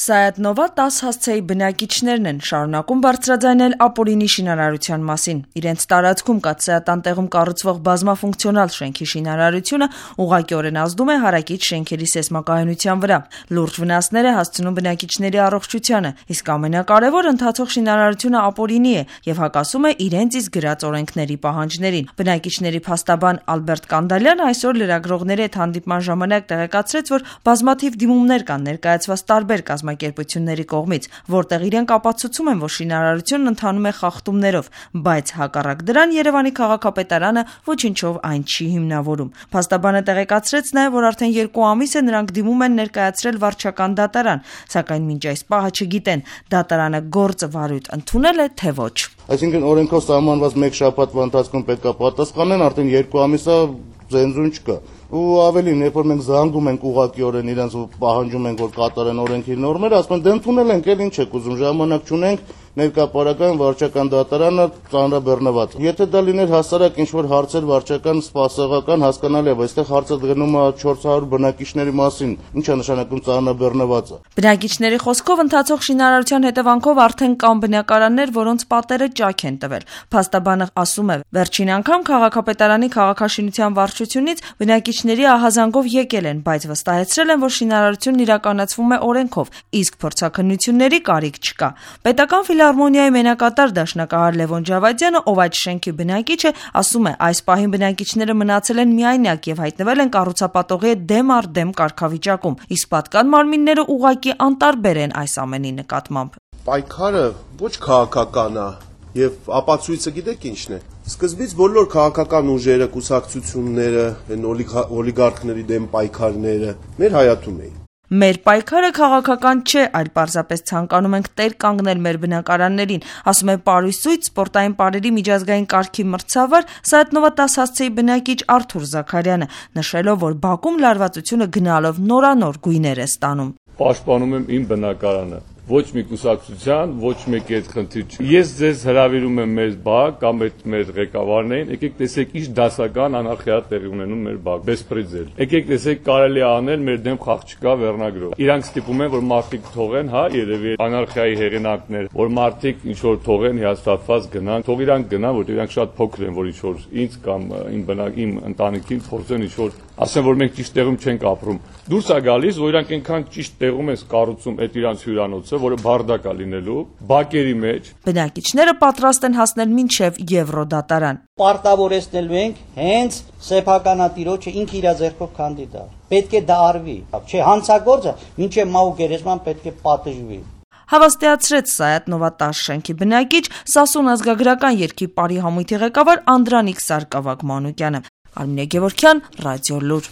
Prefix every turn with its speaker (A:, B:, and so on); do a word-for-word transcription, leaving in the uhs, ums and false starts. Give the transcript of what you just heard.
A: Սայաթ Նովա տաս հասցեի բնակիչներն են շարունակում բարձրաձայնել ապօրինի շինարարության մասին։ Իրենց տարածքում կաթսայատան տեղում կառուցվող բազմաֆունկցիոնալ շենքի շինարարությունը ուղղակիորեն ազդում է հարակից շենքերի սեյսմակայունության վրա։ Լուրջ վնասներ է հասցնում բնակիչների առողջությանը, իսկ ամենակարևոր ընթացող շինարարությունը ապօրինի է եւ հակասում է իրենց իսկ գրած օրենքների պահանջներին։ Բնակիչների փաստաբան Ալբերտ Կանդալյանը այսօր լրագրողների հետ հանդիպման ժամանակ տեղեկացրեց, որ բազմաթիվ դիմումներ կան ներկայացված տարբեր կազմակերպությունների կողմից, որտեղ իրենք ապացուցում են, որ շինարարությունն ընթանում է խախտումներով, բայց հակառակ դրան Երևանի քաղաքապետարանը ոչինչով այն չի հիմնավորում։ Փաստաբանը տեղեկացրեց նաև, որ արդեն երկու ամիս է նրանք դիմում են ներկայացրել վարչական դատարան, սակայն մինչ այս պահը չգիտեն դատարանը գործը վարույթ ընդունել է թե ոչ։
B: Այսինքն օրենքով սահմանված մեկ շաբաթվա ընթացքում պետք է պատասխանեն, արդեն երկու ամիս է զենզուն չկա։ Ու ավելին, երբ որ մենք զանգում ենք ուղղակիորեն իրենց ու պահանջում ենք, որ կատարեն օրենքի նորմերը, ասում են դե ընդունել ենք, էլ ինչ եք ուզում, ժամանակ չունենք, ներկայապարական վարչական դատարանը ծանրաբեռնված։ Եթե դա լիներ հասարակ ինչ-որ հարցեր վարչական սպասողական հասկանալի է, բայց այստեղ հարցը գնում է չորս հարյուր բնակիչների մասին, ինչ է նշանակում ծանրաբեռնվածը։
A: Բնակիչների խոսքով ընթացող շինարարության հետևանքով արդեն կան բնակարաններ, որոնց պատերը ճաք են տվել։ Փաստաբանը ասում է, վերջին անգամ քաղաքապետարանի քաղաքաշինության վարչությունից բնակիչների ահազանգով եկել են, բայց վստահեցրել են, որ շինարարությունն իրականացվում է օրենքով, իսկ փորձաքննությունների կարիք չկա։ Պետական ֆիլհարմոնիայի մենակատար դաշնակահար Լևոն Ջավադյանը, ով այդ շենքի բնակիչ է, ասում է, այս պահին բնակիչները մնացել են միայնակ եւ հայտնվել են կառուցապատողի հետ դեմ առ դեմ կարգավիճակում, իսկ պատկան մարմինները ուղղակի անտարբեր են այս ամենի նկատմամբ։
C: Պայքարը ոչ քաղաքական է եւ ապացույցը գիտեք ինչն է։ Սկզբից բոլոր քաղաքական ուժերը, կուսակցությունները, այն օլիգարխների դեմ պայքարները մեր հայաթում էին։
A: Մեր պայքարը քաղաքական չէ, այլ պարզապես ցանկանում ենք տեր կանգնել մեր բնակարաններին, ասում է Պարույսույթ սպորտային պարերի միջազգային կարգի մրցավար Սայաթ Նովա տաս հասցեի բնակիչ Արթուր Զաքարյանը, նշելով, որ բակում լարվածությունը գնալով նորանոր գույներ է ստանում։
D: Պաշտպանում եմ իմ բնակարանը։ Ոչ մի կուսակցության, ոչ մեկի այդ խնդիր չի։ Ես ձեզ հրավիրում եմ մեր բակ կամ այդ մեր ղեկավարներին, եկեք տեսեք ինչ դասական անարխիա տեղի ունենում մեր բակ, բեսպրեդել։ Եկեք տեսեք կարելի է անել մեր դեմ խաղ չկա վերնագրով։ Իրանք ստիպում են, որ մարդիկ թողեն, հա, երևի անարխիայի հեղինակներ, որ մարդիկ ինչ որ թողեն հիասթափված գնան, թող իրանք գնան, որտեղ իրանք շատ փոքր են, որ ինչ որ ինձ կամ իմ բնակ իմ ընտանիքին փորձեն ինչ որ ասեն, որ մենք ճիշտ տեղում չենք ապրում։ Դուրս է գալիս, որ իրանք այնքան ճիշտ տեղում են կառուցում այդ իրանց հյուրանոցը, որը բարդակ է լինելու, բակերի մեջ։
A: Բնակիչները պատրաստ են հասնել մինչև Եվրոդատարան։
E: Պարտավորեցնելու ենք հենց սեփականատիրոջը ինքը իր ձեռքով քանդի։ Պետք է դա արվի։ Չէ, հանցագործը մինչև մահու գերեզման պետք է պատժվի։
A: Հավաստիացրեց Սայաթ Նովա տաս շենքի բնակիչ Սասուն ազգագրական երգի պարի համույթի ղեկավար Անդրանիկ Սարգսակ Մանուկյանը։ Արմինե Գևորգյան, Ռադիոլուր։